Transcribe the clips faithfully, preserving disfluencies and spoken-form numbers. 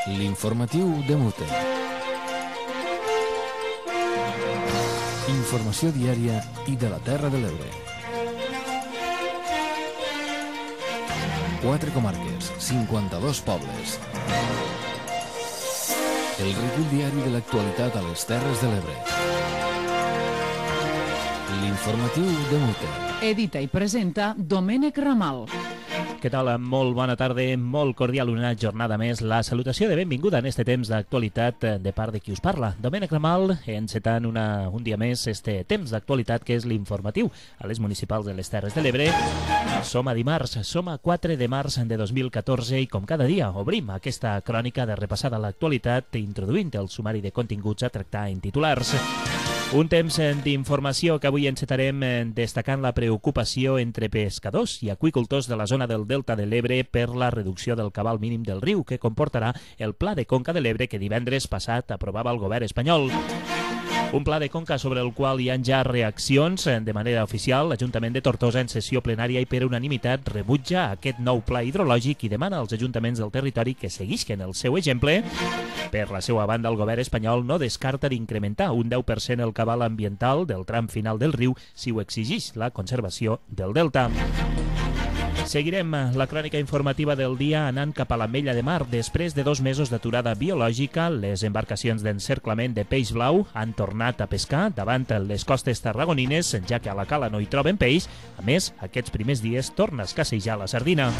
L'informatiu de Mute. Informació diària i de la Terra de l'Ebre. Quatre comarques, cinquanta-dos pobles. El recull diari de l'actualitat a les Terres de l'Ebre. L'informatiu de Mute. Edita i presenta Domènec Ramal. Què tal? Molt bona tarda, molt cordial una jornada més. La salutació de benvinguda en este temps d'actualitat de part de qui us parla. Domènec Ramal, encetant una, un dia més este temps d'actualitat que és l'informatiu a les municipals de les Terres de l'Ebre. Som a dimarts, som a quatre de març de dos mil catorze i com cada dia obrim aquesta crònica de repassada a l'actualitat introduint el sumari de continguts a tractar en titulars. Un temps d'informació que avui encetarem destacant la preocupació entre pescadors i aqüicultors de la zona del Delta de l'Ebre per la reducció del cabal mínim del riu que comportarà el Pla de Conca de l'Ebre que divendres passat aprovava el govern espanyol. Un pla de conca sobre el qual hi ha ja reaccions. De manera oficial, l'Ajuntament de Tortosa en sessió plenària i per unanimitat rebutja aquest nou pla hidrològic i demana als ajuntaments del territori que seguisquen el seu exemple. Per la seva banda, el govern espanyol no descarta d'incrementar un deu per cent el cabal ambiental del tram final del riu si ho exigeix la conservació del delta. Seguirem la crònica informativa del dia anant cap a l'Ametlla de Mar. Després de dos mesos d'aturada biològica, les embarcacions d'encerclament de peix blau han tornat a pescar davant les costes tarragonines, ja que a la cala no hi troben peix. A més, aquests primers dies torna a escassejar la sardina.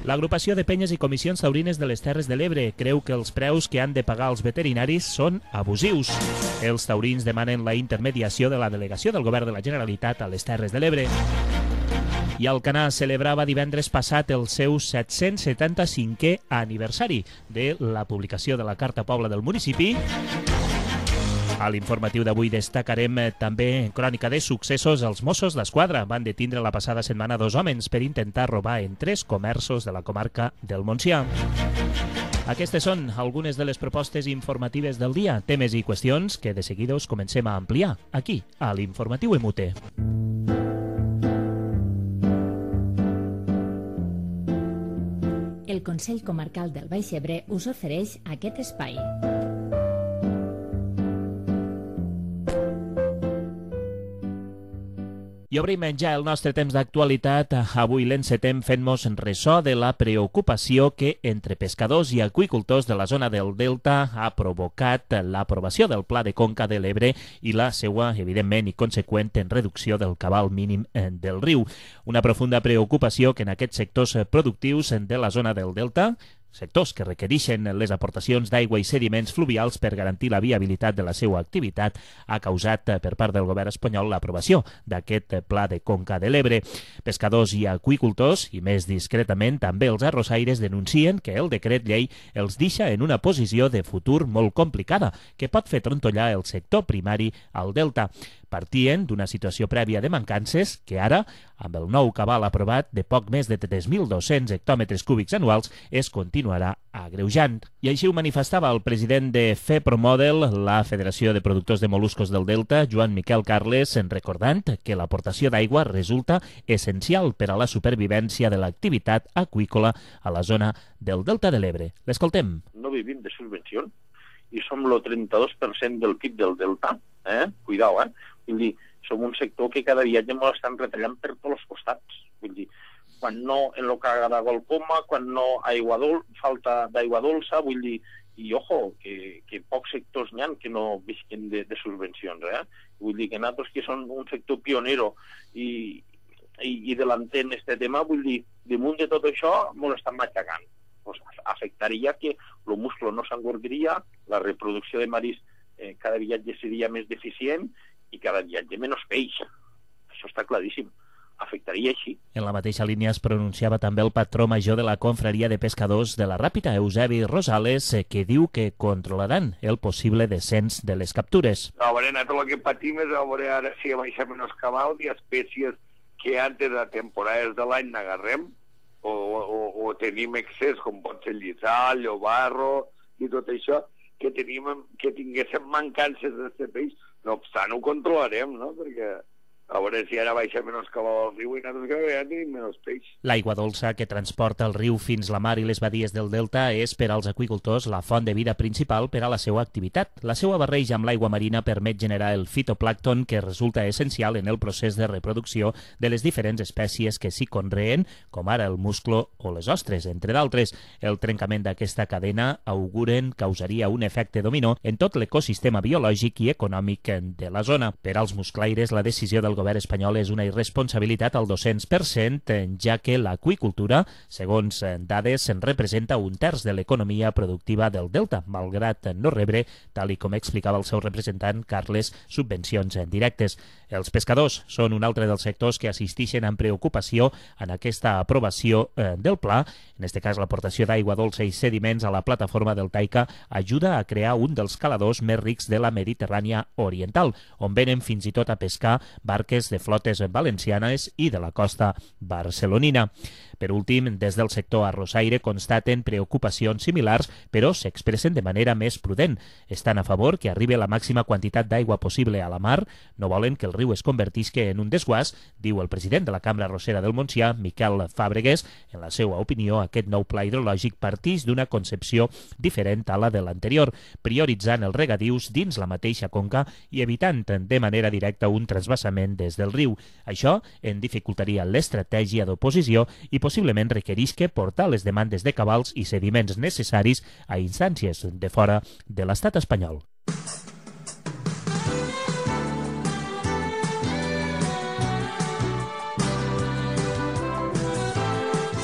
L'agrupació de penyes i comissions taurines de les Terres de l'Ebre creu que els preus que han de pagar els veterinaris són abusius. Els taurins demanen la intermediació de la delegació del govern de la Generalitat a les Terres de l'Ebre. I Alcanar celebrava divendres passat el seu set-cents setanta-cinquè aniversari de la publicació de la Carta Pobla del municipi. A l'informatiu d'avui destacarem també crònica de successos. Els Mossos d'Esquadra van detindre la passada setmana dos homes per intentar robar en tres comerços de la comarca del Montsià. Aquestes són algunes de les propostes informatives del dia, temes i qüestions que de seguida us comencem a ampliar aquí, a l'Informatiu E M U T E. El Consell Comarcal del Baix Ebre us ofereix aquest espai. I obrim ja el nostre temps d'actualitat. Avui l'encetem fent-nos ressò de la preocupació que entre pescadors i aqüicultors de la zona del Delta ha provocat l'aprovació del Pla de Conca de l'Ebre i la seva, evidentment i conseqüent, en reducció del cabal mínim del riu. Una profunda preocupació que en aquests sectors productius de la zona del Delta, sectors que requereixen les aportacions d'aigua i sediments fluvials per garantir la viabilitat de la seva activitat, ha causat per part del govern espanyol l'aprovació d'aquest Pla de Conca de l'Ebre. Pescadors i aqüicultors, i més discretament també els arrossaires, denuncien que el decret llei els deixa en una posició de futur molt complicada, que pot fer trontollar el sector primari al Delta. Partien d'una situació prèvia de mancances que ara, amb el nou cabal aprovat de poc més de tres mil dos-cents hectòmetres cúbics anuals, es continuarà agreujant. I així ho manifestava el president de FEPROMODEL, la Federació de Productors de Moluscos del Delta, Joan Miquel Carles, recordant que l'aportació d'aigua resulta essencial per a la supervivència de l'activitat aqüícola a la zona del Delta de l'Ebre. L'escoltem. No vivim de subvencions i som el trenta-dos per cent del P I B del Delta. Eh? Cuidao, eh? Vull dir, som un sector que cada dia ja ens l'estan retallant per tots els costats. Vull dir, quan no en lo que agrada el coma, quan no aigua dol, falta d'aigua dolça, vull dir, i ojo, que, que pocs sectors n'hi ha que no visquen de, de subvencions, eh? Vull dir que nosaltres que som un sector pionero i, i, i delanter en aquest tema, vull dir, damunt de tot això ens estan matxacant. Pues afectaria que el musclo no s'engordiria, la reproducció de maris eh, cada viatge seria més deficient i cada viatge menys peix. Això està claríssim. Afectaria així. En la mateixa línia es pronunciava també el patró major de la confraria de pescadors de la Ràpita, Eusebi Rosales, que diu que controlaran el possible descens de les captures. A veure, nosaltres el que patim és a veure ara si baixem en els cabals i espècies que antes de temporades de l'any n'agarrem o, o, o tenim excés, com pot ser lliçal, llobarro i tot això, que, tenim, que tinguéssim mancances d'aquest peix. No obstant, ho controlarem, no? Perquè A veure si ara baixa menys cabal al riu i nosaltres cada vegada tenim menys peix. L'aigua dolça que transporta el riu fins la mar i les badies del delta és per als aqüicultors la font de vida principal per a la seva activitat. La seva barreja amb l'aigua marina permet generar el fitoplàncton que resulta essencial en el procés de reproducció de les diferents espècies que s'hi conreen, com ara el musclo o les ostres, entre d'altres. El trencament d'aquesta cadena auguren causaria un efecte dominó en tot l'ecosistema biològic i econòmic de la zona. Per als musclaires, la decisió del govern espanyol és una irresponsabilitat al dos-cents per cent, ja que l'aqüicultura, segons dades, en representa un terç de l'economia productiva del delta, malgrat no rebre, tal i com explicava el seu representant Carles, subvencions directes. Els pescadors són un altre dels sectors que assisteixen amb preocupació en aquesta aprovació del pla. En aquest cas, l'aportació d'aigua dolça i sediments a la plataforma del Taica ajuda a crear un dels caladors més rics de la Mediterrània oriental, on venen fins i tot a pescar barques de flotes valencianes i de la costa barcelonina. Per últim, des del sector arrossaire constaten preocupacions similars, però s'expressen de manera més prudent. Estan a favor que arribi la màxima quantitat d'aigua possible a la mar, no volen que el riu es convertisca en un desguàs, diu el president de la Cambra Arrossera del Montsià, Miquel Fàbregues. En la seva opinió, aquest nou pla hidrològic partix d'una concepció diferent a la de l'anterior, prioritzant els regadius dins la mateixa conca i evitant de manera directa un transvasament des del riu. Això en dificultaria l'estratègia d'oposició i possiblement requerisca portar les demandes de cabals i sediments necessaris a instàncies de fora de l'estat espanyol.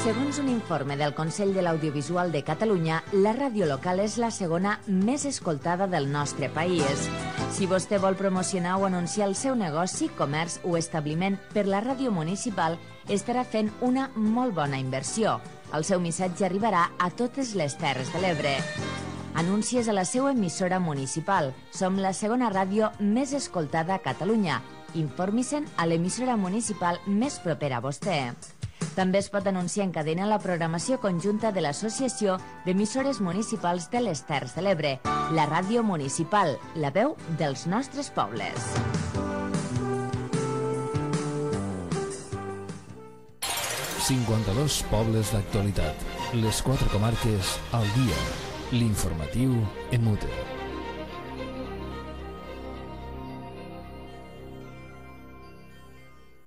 Segons un informe del Consell de l'Audiovisual de Catalunya, la ràdio local és la segona més escoltada del nostre país. Si vostè vol promocionar o anunciar el seu negoci, comerç o establiment per la ràdio municipal, estarà fent una molt bona inversió. El seu missatge arribarà a totes les Terres de l'Ebre. Anuncies a la seva emissora municipal. Som la segona ràdio més escoltada a Catalunya. Informi-se'n a l'emissora municipal més propera a vostè. També es pot anunciar en cadena la programació conjunta de l'Associació d'Emissores Municipals de les Terres de l'Ebre, la ràdio municipal, la veu dels nostres pobles. cinquanta-dos pobles d'actualitat. Les quatre comarques al dia. L'informatiu en mute.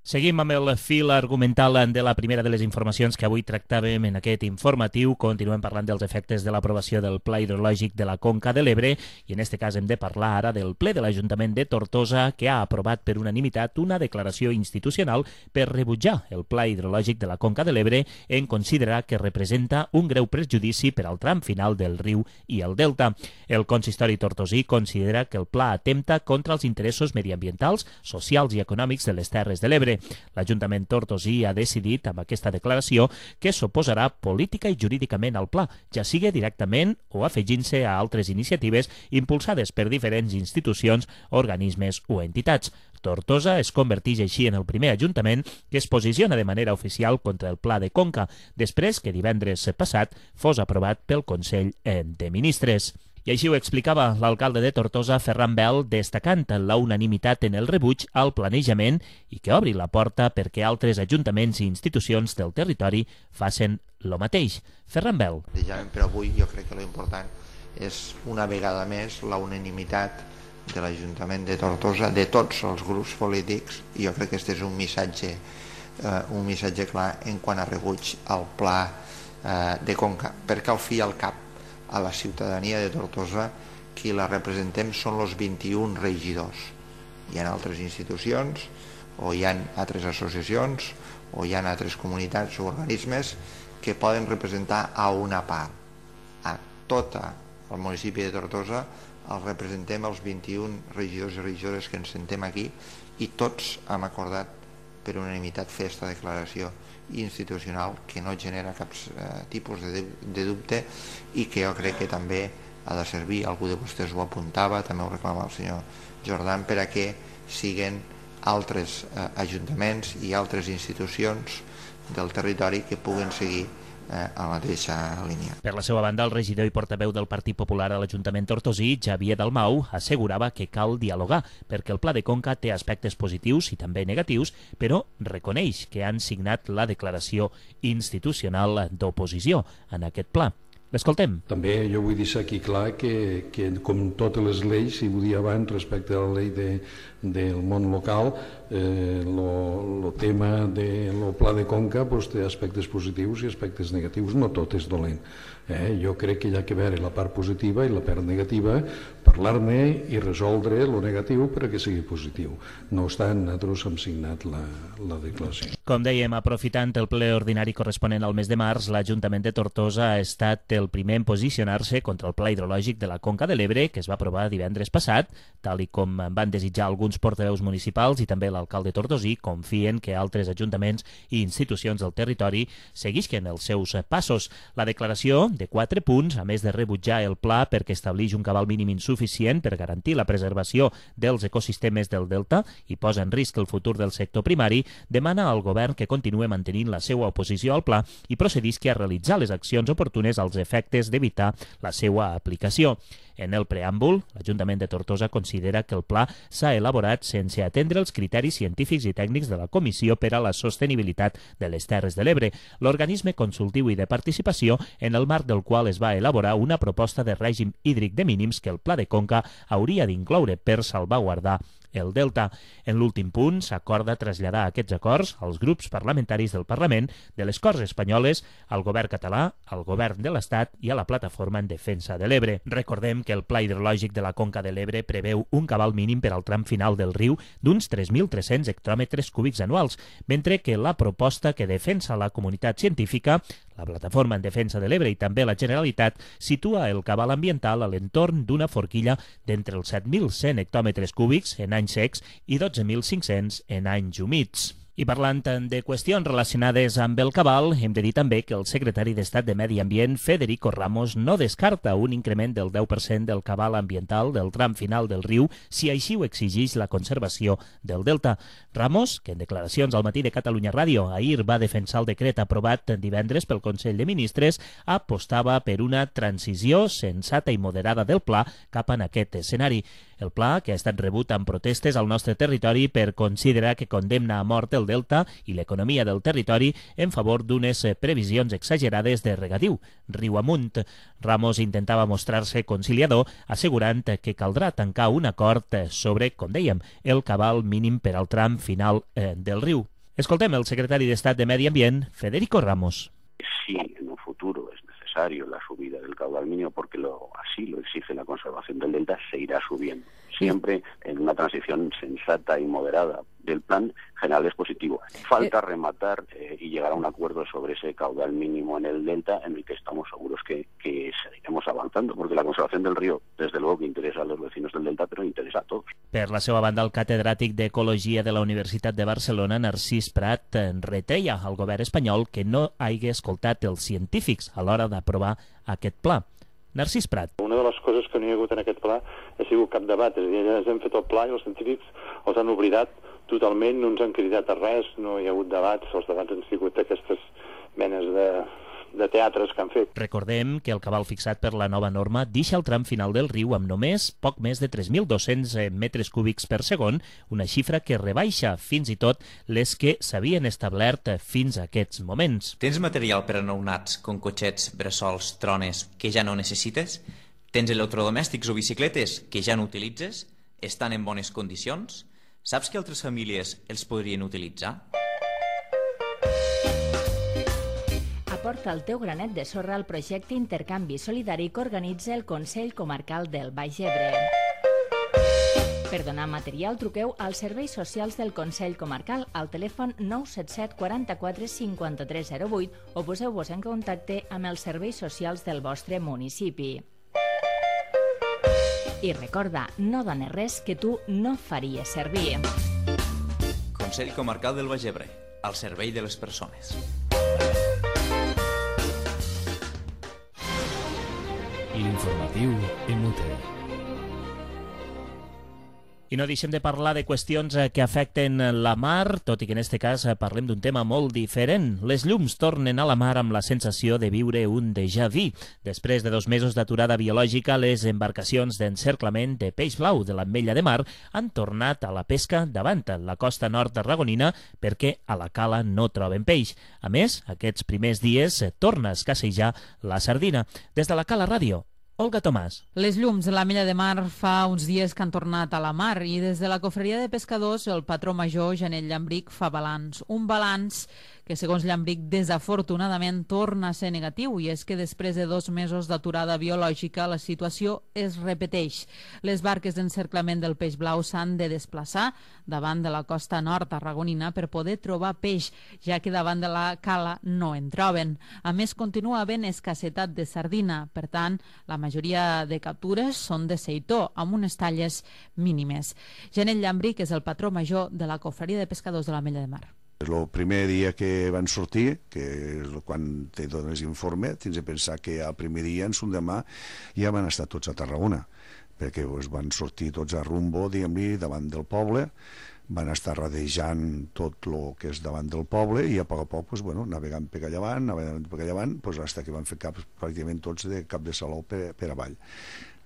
Seguim amb el fil argumental de la primera de les informacions que avui tractàvem en aquest informatiu. Continuem parlant dels efectes de l'aprovació del Pla Hidrològic de la Conca de l'Ebre i en aquest cas hem de parlar ara del ple de l'Ajuntament de Tortosa que ha aprovat per unanimitat una declaració institucional per rebutjar el Pla Hidrològic de la Conca de l'Ebre en considerar que representa un greu perjudici per al tram final del riu i el delta. El consistori tortosí considera que el pla atempta contra els interessos mediambientals, socials i econòmics de les Terres de l'Ebre. L'Ajuntament tortosí ha decidit amb aquesta declaració que s'oposarà política i jurídicament al pla, ja sigui directament o afegint-se a altres iniciatives impulsades per diferents institucions, organismes o entitats. Tortosa es converteix així en el primer ajuntament que es posiciona de manera oficial contra el Pla de Conca, després que divendres passat fos aprovat pel Consell de Ministres. I així ho explicava l'alcalde de Tortosa, Ferran Bel, destacant la unanimitat en el rebuig al planejament i que obri la porta perquè altres ajuntaments i institucions del territori facin el mateix. Ferran Bel. Però avui jo crec que l'important és una vegada més la unanimitat de l'Ajuntament de Tortosa, de tots els grups polítics, i jo crec que aquest és un missatge, eh, un missatge clar en quant a rebuig al pla eh, de Conca, perquè al fi i al cap a la ciutadania de Tortosa qui la representem són els vint-i-un regidors. Hi ha altres institucions o hi ha altres associacions o hi ha altres comunitats o organismes que poden representar a una part. A tot el municipi de Tortosa el representem els vint-i-un regidors i regidores que ens sentem aquí i tots hem acordat per unanimitat fer aquesta declaració institucional que no genera cap eh, tipus de, de dubte i que jo crec que també ha de servir, algú de vostès ho apuntava, també ho reclama el senyor Jordan, per a que siguen altres eh, ajuntaments i altres institucions del territori que puguen seguir eh, a la mateixa línia. Per la seva banda, el regidor i portaveu del Partit Popular a l'Ajuntament tortosí, Xavier Dalmau, assegurava que cal dialogar perquè el Pla de Conca té aspectes positius i també negatius, però reconeix que han signat la declaració institucional d'oposició en aquest pla. L'escoltem. També jo vull deixar aquí clar que, que com totes les lleis, i ho dia abans respecte a la llei de, del món local, el eh, tema del pla de Conca pues, té aspectes positius i aspectes negatius, no tot és dolent. Eh? Jo crec que hi ha que veure la part positiva i la part negativa, parlar-ne i resoldre el negatiu perquè sigui positiu. No obstant, nosaltres hem signat la, la declaració. Com dèiem, aprofitant el ple ordinari corresponent al mes de març, l'Ajuntament de Tortosa ha estat el primer en posicionar-se contra el pla hidrològic de la Conca de l'Ebre, que es va aprovar divendres passat, tal i com van desitjar alguns portaveus municipals i també l'alcalde tortosí, confien que altres ajuntaments i institucions del territori seguisquen els seus passos. La declaració, de quatre punts, a més de rebutjar el pla perquè estableix un cabal mínim insuficient per garantir la preservació dels ecosistemes del delta i posa en risc el futur del sector primari, demana al govern que continue mantenint la seva oposició al pla i procedisqui a realitzar les accions oportunes als efectes d'evitar la seva aplicació. En el preàmbul, l'Ajuntament de Tortosa considera que el pla s'ha elaborat sense atendre els criteris científics i tècnics de la Comissió per a la Sostenibilitat de les Terres de l'Ebre, l'organisme consultiu i de participació en el marc del qual es va elaborar una proposta de règim hídric de mínims que el Pla de Conca hauria d'incloure per salvaguardar el delta. En l'últim punt s'acorda traslladar aquests acords als grups parlamentaris del Parlament, de les Corts Espanyoles, al govern català, al govern de l'Estat i a la Plataforma en Defensa de l'Ebre. Recordem que el Pla hidrològic de la Conca de l'Ebre preveu un cabal mínim per al tram final del riu d'uns tres mil tres-cents hectòmetres cúbics anuals, mentre que la proposta que defensa la comunitat científica, la Plataforma en Defensa de l'Ebre i també la Generalitat, situa el cabal ambiental a l'entorn d'una forquilla d'entre els set mil cent hectòmetres cúbics en anys secs i dotze mil cinc-cents en anys humits. I parlant de qüestions relacionades amb el cabal, hem de dir també que el secretari d'Estat de Medi Ambient, Federico Ramos, no descarta un increment del deu per cent del cabal ambiental del tram final del riu si així ho exigeix la conservació del delta. Ramos, que en declaracions al Matí de Catalunya Ràdio ahir va defensar el decret aprovat divendres pel Consell de Ministres, apostava per una transició sensata i moderada del pla cap en aquest escenari. El pla, que ha estat rebut amb protestes al nostre territori per considerar que condemna a mort el delta i l'economia del territori en favor d'unes previsions exagerades de regadiu, riu amunt. Ramos intentava mostrar-se conciliador, assegurant que caldrà tancar un acord sobre, com dèiem, el cabal mínim per al tram final eh, del riu. Escoltem el secretari d'Estat de Medi Ambient, Federico Ramos. Si en un futuro es necesario la subida del caudal mínimo porque lo, así lo exige la conservación del delta, se irá subiendo. Siempre en una transición sensata y moderada del plan general es positivo. Falta rematar eh, y llegar a un acuerdo sobre ese caudal mínimo en el delta, en el que estamos seguros que, que seguiremos avanzando, porque la conservación del río, desde luego que interesa a los vecinos del delta, però interessa a tots. Per la seva banda, el catedràtic d'Ecologia de la Universitat de Barcelona, Narcís Prat, retreia al govern espanyol que no hagi escoltat els científics a l'hora d'aprovar aquest pla. Narcís Prat. Una de les coses que no hi ha hagut en aquest pla ha sigut cap debat, és a dir, ja hem fet el pla i els científics els han oblidat totalment, no ens han cridat a res, no hi ha hagut debats, els debats han sigut aquestes menes de, de teatres que han fet. Recordem que el cabal fixat per la nova norma deixa el tram final del riu amb només poc més de tres mil dos-cents metres cúbics per segon, una xifra que rebaixa fins i tot les que s'havien establert fins a aquests moments. Tens material per a nounats, com cotxets, bressols, trones, que ja no necessites? Tens electrodomèstics o bicicletes que ja no utilitzes? Estan en bones condicions? Saps que altres famílies els podrien utilitzar? Aporta el teu granet de sorra al projecte Intercanvi Solidari que organitza el Consell Comarcal del Baix Ebre. Per donar material, truqueu als serveis socials del Consell Comarcal al telèfon nou set set quaranta-quatre cinquanta-tres zero vuit o poseu-vos en contacte amb els serveis socials del vostre municipi. I recorda, no dones res que tu no faries servir. Consell Comarcal del Baix Ebre, al servei de les persones. L'informatiu M U T E. I no deixem de parlar de qüestions que afecten la mar, tot i que en aquest cas parlem d'un tema molt diferent. Les llums tornen a la mar amb la sensació de viure un déjà vu. Després de dos mesos d'aturada biològica, les embarcacions d'encerclament de peix blau de l'Ametlla de Mar han tornat a la pesca davant la costa nord tarragonina perquè a la cala no troben peix. A més, aquests primers dies torna a escassejar la sardina. Des de la Cala Ràdio, Olga Tomàs. Les llums de l'Ametlla de Mar fa uns dies que han tornat a la mar i des de la cofreria de pescadors el patró major Janet Llambric fa balanç. Un balanç que, segons Llambric, desafortunadament torna a ser negatiu, i és que després de dos mesos d'aturada biològica la situació es repeteix. Les barques d'encerclament del peix blau s'han de desplaçar davant de la costa nord tarragonina per poder trobar peix, ja que davant de la cala no en troben. A més, continua havent escassetat de sardina, per tant, la majoria de captures són de seitó, amb unes talles mínimes. Janet Llambric és el patró major de la cofreria de pescadors de l'Ametlla de Mar. El primer dia que van sortir, que és quan te dones informe, tens de pensar que el primer dia, en son demà, ja van estar tots a Tarragona, perquè pues, van sortir tots a rumbo, diguem-li, davant del poble, van estar radejant tot el que és davant del poble i a poc a poc, pues, bueno, navegant per allà avant, navegant per allà avant, pues, fins que van fer cap, pràcticament tots de cap de saló per, per avall.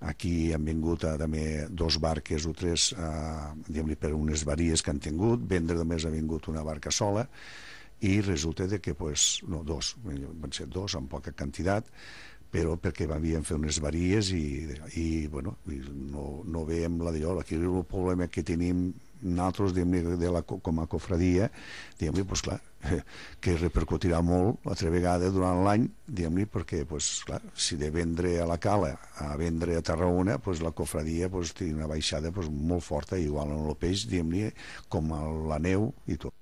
Aquí han vingut a, també dos barques o tres eh, per unes varies que han tingut, vendre només ha vingut una barca sola i resulta de que, pues, no, dos, van ser dos amb poca quantitat, però perquè havien fet unes varies i, i bueno, no, no veiem la d'allò. Aquí el problema que tenim nosaltres, de la, com a cofradia, diguem-li, pues, clar, que repercutirà molt altra vegada durant l'any, diguem-li, perquè, pues, clar, si de vendre a la cala a vendre a Tarragona, pues, la cofradia pues, té una baixada pues, molt forta, igual en el peix, diguem-li, com a la neu i tot.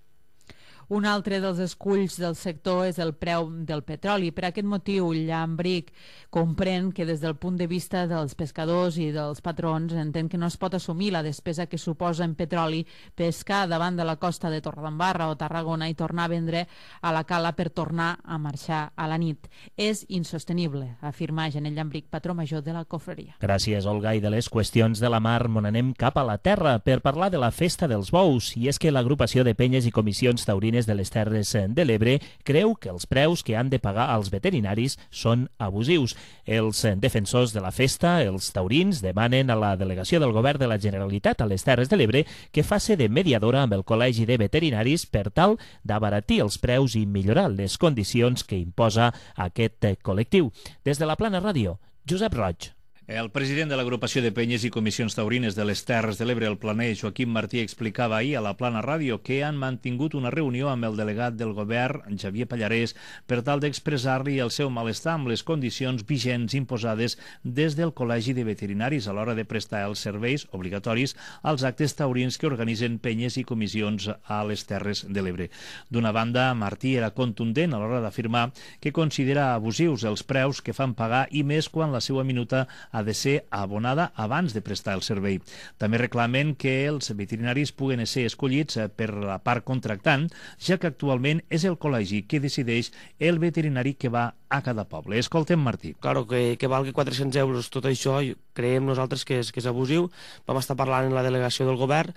Un altre dels esculls del sector és el preu del petroli. Per aquest motiu, Llambric comprèn que des del punt de vista dels pescadors i dels patrons entén que no es pot assumir la despesa que suposa en petroli pescar davant de la costa de Torredembarra o Tarragona i tornar a vendre a la cala per tornar a marxar a la nit. És insostenible, afirma Janet Llambric, patró major de la cofreria. Gràcies, Olga. I de les qüestions de la mar mon anem cap a la terra per parlar de la festa dels bous. I és que l'agrupació de penyes i comissions taurines de les Terres de l'Ebre creu que els preus que han de pagar als veterinaris són abusius. Els defensors de la festa, els taurins, demanen a la delegació del govern de la Generalitat a les Terres de l'Ebre que faci de mediadora amb el Col·legi de Veterinaris per tal d'abaratir els preus i millorar les condicions que imposa aquest col·lectiu. Des de la Plana Ràdio, Josep Roig. El president de l'agrupació de penyes i comissions taurines de les Terres de l'Ebre, el Planer, Joaquim Martí, explicava ahir a la Plana Ràdio que han mantingut una reunió amb el delegat del govern, Xavier Pallarès, per tal d'expressar-li el seu malestar amb les condicions vigents imposades des del Col·legi de Veterinaris a l'hora de prestar els serveis obligatoris als actes taurins que organitzen penyes i comissions a les Terres de l'Ebre. D'una banda, Martí era contundent a l'hora d'afirmar que considera abusius els preus que fan pagar i més quan la seva minuta ha de ser abonada abans de prestar el servei. També reclamen que els veterinaris puguen ser escollits per la part contractant, ja que actualment és el col·legi que decideix el veterinari que va a cada poble. Escoltem Martí. Claro, que, que valgui quatre-cents euros tot això, creiem nosaltres que és, que és abusiu. Vam estar parlant en la delegació del govern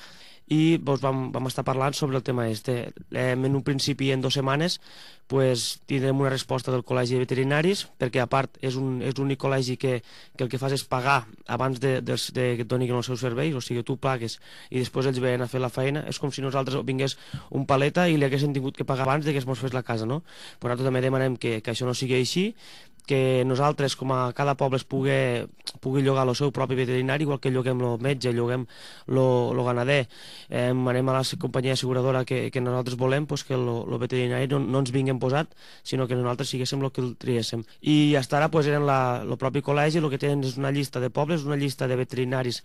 i doncs, vam, vam estar parlant sobre el tema este. Eh, en un principi, en dues setmanes, pues, tindrem una resposta del Col·legi de Veterinaris, perquè a part és un és l'únic col·legi que, que el que fas és pagar abans de, de, de que et donin els seus serveis, o sigui, tu pagues i després ells venen a fer la feina. És com si nosaltres vingués un paleta i li haguessin tingut que pagar abans de que es mos fes la casa, no? Però nosaltres també demanem que, que això no sigui així, que nosaltres, com a cada poble, es pugui, pugui llogar el seu propi veterinari, igual que lloguem el metge, lloguem el ganader. Eh, anem a la companyia asseguradora que, que nosaltres volem, pues, que el veterinari no, no ens vingui posat, sinó que nosaltres siguéssim el que el triéssim. I fins ara pues, eren el propi col·legi, el que tenen és una llista de pobles, una llista de veterinaris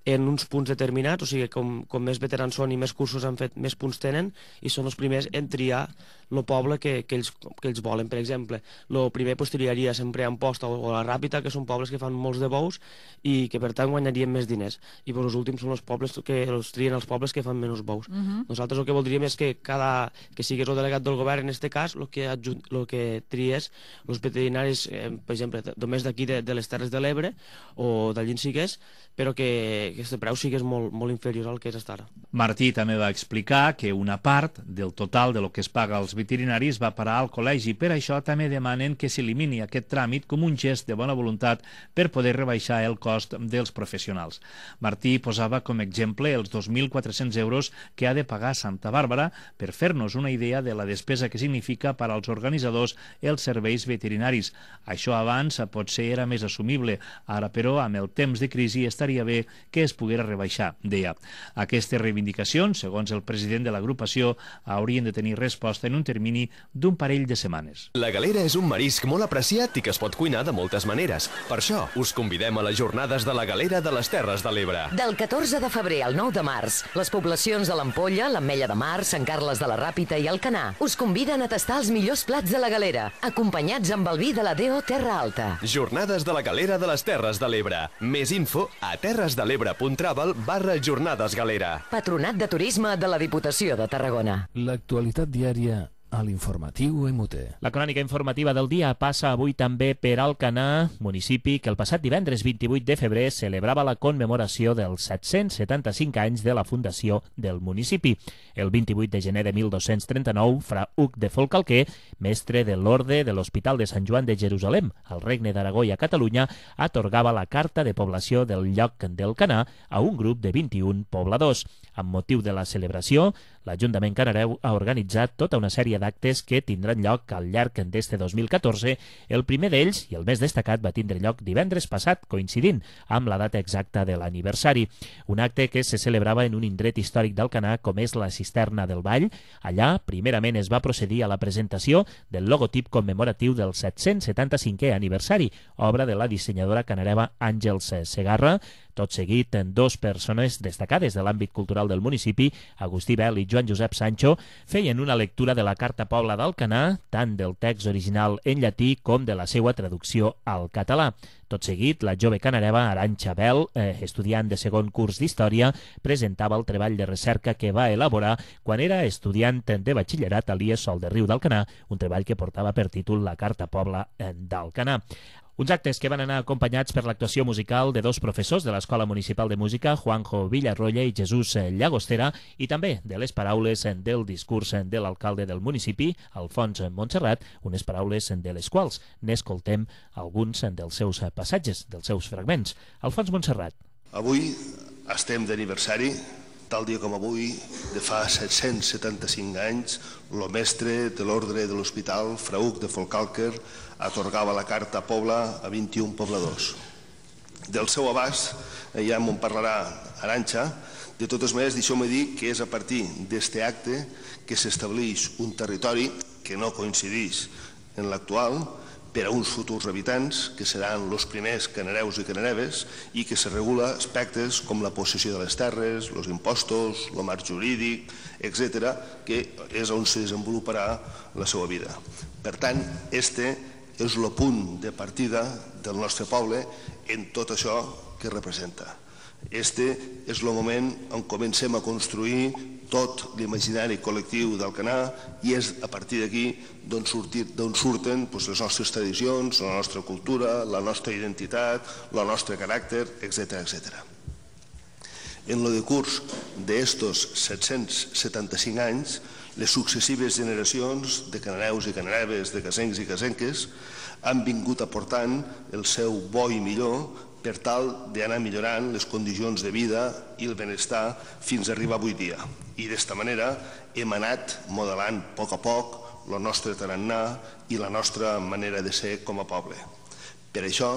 en uns punts determinats, o sigui, com, com més veterans són i més cursos han fet, més punts tenen, i són els primers en triar el poble que, que, ells, que ells volen. Per exemple, el primer pues, triaria sempre Amposta o, o la Ràpita, que són pobles que fan molts de bous, bous i que per tant guanyaríem més diners. I per els últims són els pobles que els trien els pobles que fan menys bous. Mhm. Nosaltres el que voldríem és que cada que sigués el delegat del govern, en aquest cas, el que, el que tries els veterinaris, eh, per exemple, només d'aquí de, de les Terres de l'Ebre o d'allí en sigués, però que, que aquest preu sigués molt, molt inferior al que és fins ara. Martí també va explicar que una part del total de lo que es paga als veterinaris va parar al col·legi. Per això també demanen que s'elimini aquest tràmit com un gest de bona voluntat per poder rebaixar el cost dels professionals. Martí posava com exemple els dos mil quatre-cents euros que ha de pagar Santa Bàrbara per fer-nos una idea de la despesa que significa per als organitzadors els serveis veterinaris. Això abans potser era més assumible, ara però amb el temps de crisi estaria bé que es poguera rebaixar, deia. Aquestes reivindicacions, segons el president de l'agrupació, haurien de tenir resposta en un termini d'un parell de setmanes. La galera és un marisc molt apreciat i que es pot cuinar de moltes maneres. Per això us convidem a les jornades de la galera de les Terres de l'Ebre. Del catorze de febrer al nou de març, les poblacions de l'Ampolla, l'Ametlla de Mar, Sant Carles de la Ràpita i Alcanar us conviden a tastar els millors plats de la galera, acompanyats amb el vi de la D O Terra Alta. Jornades de la galera de les Terres de l'Ebre. Més info a terresdelebre.travel barra jornades galera. Patronat de Turisme de la Diputació de Tarragona. L'actualitat diària a l'informatiu M U T. La crònica informativa del dia passa avui també per Alcanar, municipi que el passat divendres vint-i-vuit de febrer celebrava la commemoració dels set-cents setanta-cinc anys de la fundació del municipi. El vint-i-vuit de gener de mil dos-cents trenta-nou, fra Hug de Folcalquer, mestre de l'Orde de l'Hospital de Sant Joan de Jerusalem, al Regne d'Aragó i a Catalunya, atorgava la carta de població del lloc d'Alcanar a un grup de vint-i-un pobladors. Amb motiu de la celebració, l'Ajuntament canareu ha organitzat tota una sèrie d'actes que tindran lloc al llarg d'este dos mil catorze. El primer d'ells, i el més destacat, va tindre lloc divendres passat, coincidint amb la data exacta de l'aniversari. Un acte que se celebrava en un indret històric d'Alcanar, com és la Cisterna del Vall. Allà, primerament, es va procedir a la presentació del logotip commemoratiu del set-cents setanta-cinquè aniversari, obra de la dissenyadora canareva Àngels Segarra. Tot seguit, dos persones destacades de l'àmbit cultural del municipi, Agustí Bel i Joan Josep Sancho, feien una lectura de la Carta Pobla d'Alcanar, tant del text original en llatí com de la seva traducció al català. Tot seguit, la jove canareva Arantxa Bel, eh, estudiant de segon curs d'Història, presentava el treball de recerca que va elaborar quan era estudiant de batxillerat a l'I E S Sol de Riu d'Alcanar, un treball que portava per títol La Carta Pobla d'Alcanar. Uns actes que van anar acompanyats per l'actuació musical de dos professors de l'Escola Municipal de Música, Juanjo Villarroya i Jesús Llagostera, i també de les paraules del discurs de l'alcalde del municipi, Alfons Montserrat, unes paraules de les quals n'escoltem alguns dels seus passatges, dels seus fragments. Alfons Montserrat. Avui estem d'aniversari. Tal dia com avui, de fa set-cents setanta-cinc anys, el mestre de l'ordre de l'Hospital, fra Hug de Folcalquer, atorgava la Carta Pobla a vint-i-un pobladors. Del seu abast, ja m'en parlarà Arantxa. De totes maneres, deixeu-me dir que és a partir d'aquest acte que s'estableix un territori que no coincideix en l'actual, per a uns futurs habitants, que seran els primers canareus i canareves, i que se regula aspectes com la possessió de les terres, els impostos, el marc jurídic, etcètera, que és on se desenvoluparà la seva vida. Per tant, este és el punt de partida del nostre poble en tot això que representa. Este és el moment on comencem a construir tot l'imaginari col·lectiu d'Alcanar i és a partir d'aquí d'on surten les nostres tradicions, la nostra cultura, la nostra identitat, el nostre caràcter, etcètera. En el decurs d'estos set-cents setanta-cinc anys, les successives generacions de canareus i canareves, de casencs i casenques, han vingut aportant el seu bo i millor per tal d'anar millorant les condicions de vida i el benestar fins a arribar avui dia. I d'esta manera hem anat modelant a poc a poc el nostre tarannà i la nostra manera de ser com a poble. Per això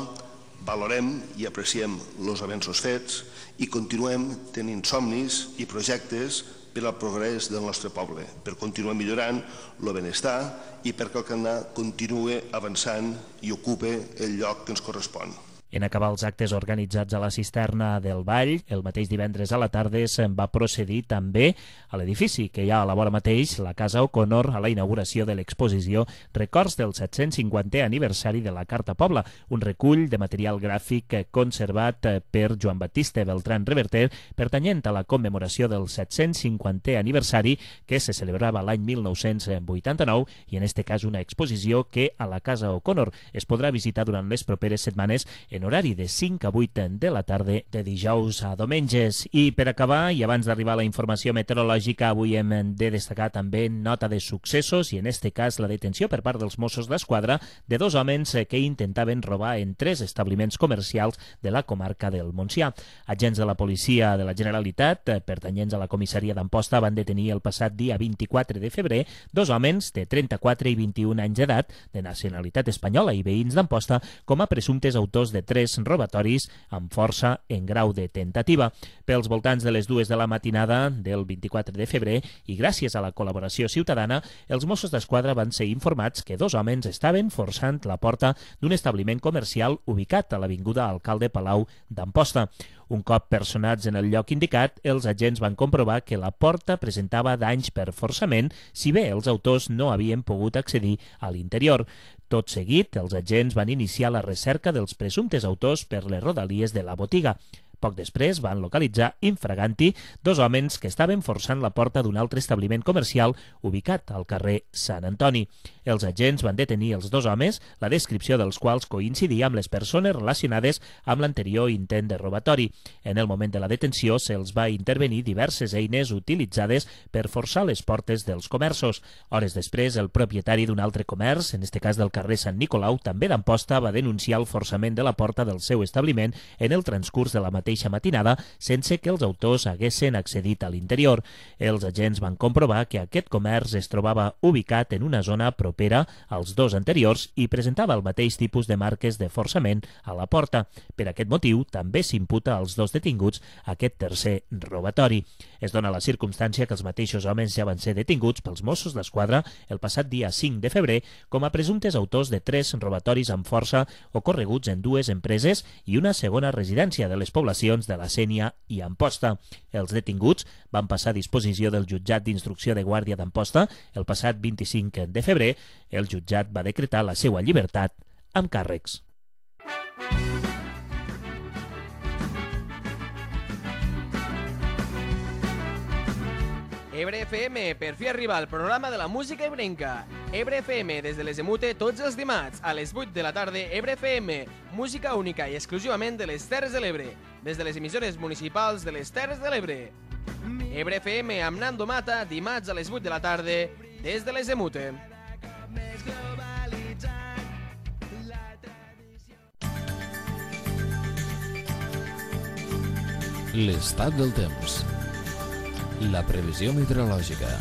valorem i apreciem els avenços fets i continuem tenint somnis i projectes per al progrés del nostre poble, per continuar millorant el benestar i perquè el Alcanar continuï avançant i ocupe el lloc que ens correspon. En acabar els actes organitzats a la cisterna del Vall, el mateix divendres a la tarda se'n va procedir també a l'edifici que hi ha a la vora mateix, la Casa O'Connor, a la inauguració de l'exposició Records del set-cents cinquantè aniversari de la Carta Pobla, un recull de material gràfic conservat per Joan Batista Beltrán Reverter, pertanyent a la commemoració del set-cents cinquantè aniversari que se celebrava l'any mil nou-cents vuitanta-nou i en este cas una exposició que a la Casa O'Connor es podrà visitar durant les properes setmanes en horari de cinc a vuit de la tarda de dijous a diumenges. I per acabar, i abans d'arribar a la informació meteorològica, avui hem de destacar també nota de successos i en este cas la detenció per part dels Mossos d'Esquadra de dos homes que intentaven robar en tres establiments comercials de la comarca del Montsià. Agents de la policia de la Generalitat, pertanyents a la comissaria d'Amposta, van detenir el passat dia vint-i-quatre de febrer dos homes de trenta-quatre i vint-i-un anys d'edat, de nacionalitat espanyola i veïns d'Amposta, com a presumptes autors de tres robatoris amb força en grau de tentativa. Pels voltants de les dues de la matinada del vint-i-quatre de febrer i gràcies a la col·laboració ciutadana, els Mossos d'Esquadra van ser informats que dos homes estaven forçant la porta d'un establiment comercial ubicat a l'avinguda Alcalde Palau d'Amposta. Un cop personats en el lloc indicat, els agents van comprovar que la porta presentava danys per forçament, si bé els autors no havien pogut accedir a l'interior. Tot seguit, els agents van iniciar la recerca dels presumptes autors per les rodalies de la botiga. Poc després van localitzar infraganti dos homes que estaven forçant la porta d'un altre establiment comercial ubicat al carrer Sant Antoni. Els agents van detenir els dos homes, la descripció dels quals coincidia amb les persones relacionades amb l'anterior intent de robatori. En el moment de la detenció se'ls va intervenir diverses eines utilitzades per forçar les portes dels comerços. Hores després, el propietari d'un altre comerç, en este cas del carrer Sant Nicolau, també d'Amposta, va denunciar el forçament de la porta del seu establiment en el transcurs de la mateixa matinada sense que els autors haguessin accedit a l'interior. Els agents van comprovar que aquest comerç es trobava ubicat en una zona propera als dos anteriors i presentava el mateix tipus de marques de forçament a la porta. Per aquest motiu, també s'imputa als dos detinguts aquest tercer robatori. Es dona la circumstància que els mateixos homes ja van ser detinguts pels Mossos d'Esquadra el passat dia cinc de febrer com a presumptes autors de tres robatoris amb força ocorreguts en dues empreses i una segona residència de les poblacions de la Sénia i Amposta. Els detinguts van passar a disposició del jutjat d'instrucció de Guàrdia d'Amposta el passat vint-i-cinc de febrer. El jutjat va decretar la seva llibertat amb càrrecs. Ebre F M, per fi arriba al programa de la música ebrenca. Ebre F M, des de les Emute, tots els dimarts, a les vuit de la tarda, Ebre F M, música única i exclusivament de les Terres de l'Ebre, des de les emissores municipals de les Terres de l'Ebre. Ebre F M amb Nando Mata, dimarts a les vuit de la tarda, des de les Emute. L'estat del temps. La previsió meteorològica.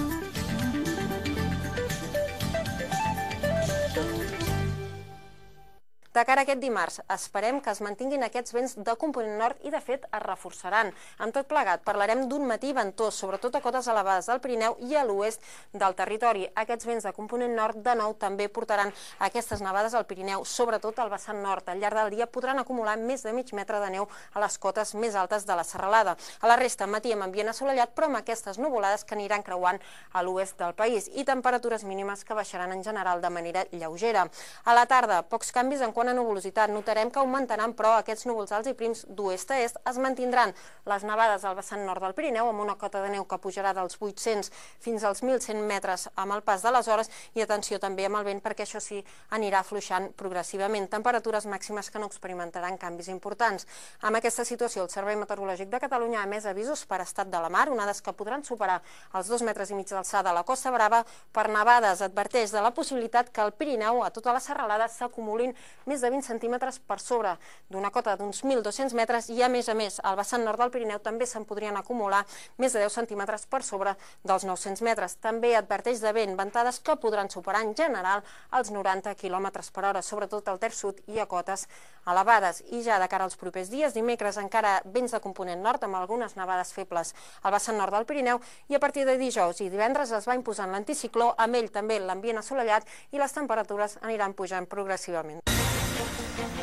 De cara a aquest dimarts, esperem que es mantinguin aquests vents de component nord i, de fet, es reforçaran. Amb tot plegat, parlarem d'un matí ventós, sobretot a cotes elevades del Pirineu i a l'oest del territori. Aquests vents de component nord, de nou, també portaran aquestes nevades al Pirineu, sobretot al vessant nord. Al llarg del dia podran acumular més de mig metre de neu a les cotes més altes de la serralada. A la resta, matí amb ambient assolellat, però amb aquestes nuvolades que aniran creuant a l'oest del país i temperatures mínimes que baixaran en general de manera lleugera. A la tarda, pocs canvis en quant a nuvolositat. Notarem que augmentaran, però aquests núvols alts i prims d'oest a est es mantindran. Les nevades al vessant nord del Pirineu amb una cota de neu que pujarà dels vuit-cents fins als mil cent metres amb el pas de les hores i atenció també amb el vent perquè això sí anirà afluixant progressivament. Temperatures màximes que no experimentaran canvis importants. Amb aquesta situació, el Servei Meteorològic de Catalunya ha emès avisos per estat de la mar, onades que podran superar els dos metres i mig d'alçada a la Costa Brava per nevades. Adverteix de la possibilitat que al Pirineu, a tota la serralada, s'acumulin més de vint centímetres per sobre d'una cota d'uns mil dos-cents metres i, a més a més, al vessant nord del Pirineu també se'n podrien acumular més de deu centímetres per sobre dels nou-cents metres. També adverteix de vent, ventades que podran superar en general els noranta quilòmetres per hora, sobretot al terç sud i a cotes elevades. I ja de cara als propers dies, dimecres encara vents de component nord amb algunes nevades febles al vessant nord del Pirineu i a partir de dijous i divendres es va imposant l'anticicló, amb ell també l'ambient assolellat i les temperatures aniran pujant progressivament.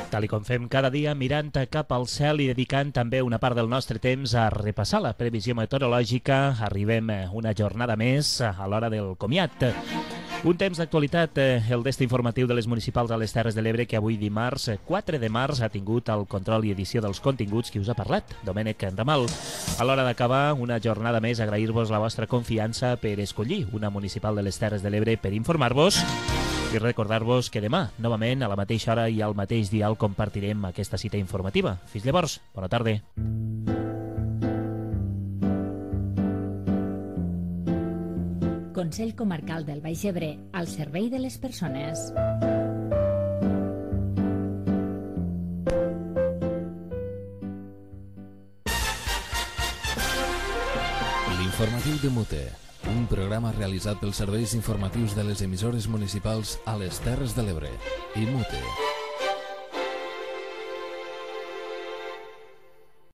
Tal i com fem cada dia, mirant cap al cel i dedicant també una part del nostre temps a repassar la previsió meteorològica, arribem una jornada més a l'hora del comiat. Un temps d'actualitat, el destí informatiu de les municipals a les Terres de l'Ebre, que avui dimarts, quatre de març, ha tingut el control i edició dels continguts qui us ha parlat, Domènec Ramal. A l'hora d'acabar, una jornada més, agrair-vos la vostra confiança per escollir una municipal de les Terres de l'Ebre per informar-vos i recordar-vos que demà, novament, a la mateixa hora i al mateix dial, compartirem aquesta cita informativa. Fins llavors, bona tarda. Consell Comarcal del Baix Ebre, al servei de les persones. L'informatiu de Mute, un programa realitzat pels serveis informatius de les emissores municipals a les Terres de l'Ebre i Mute.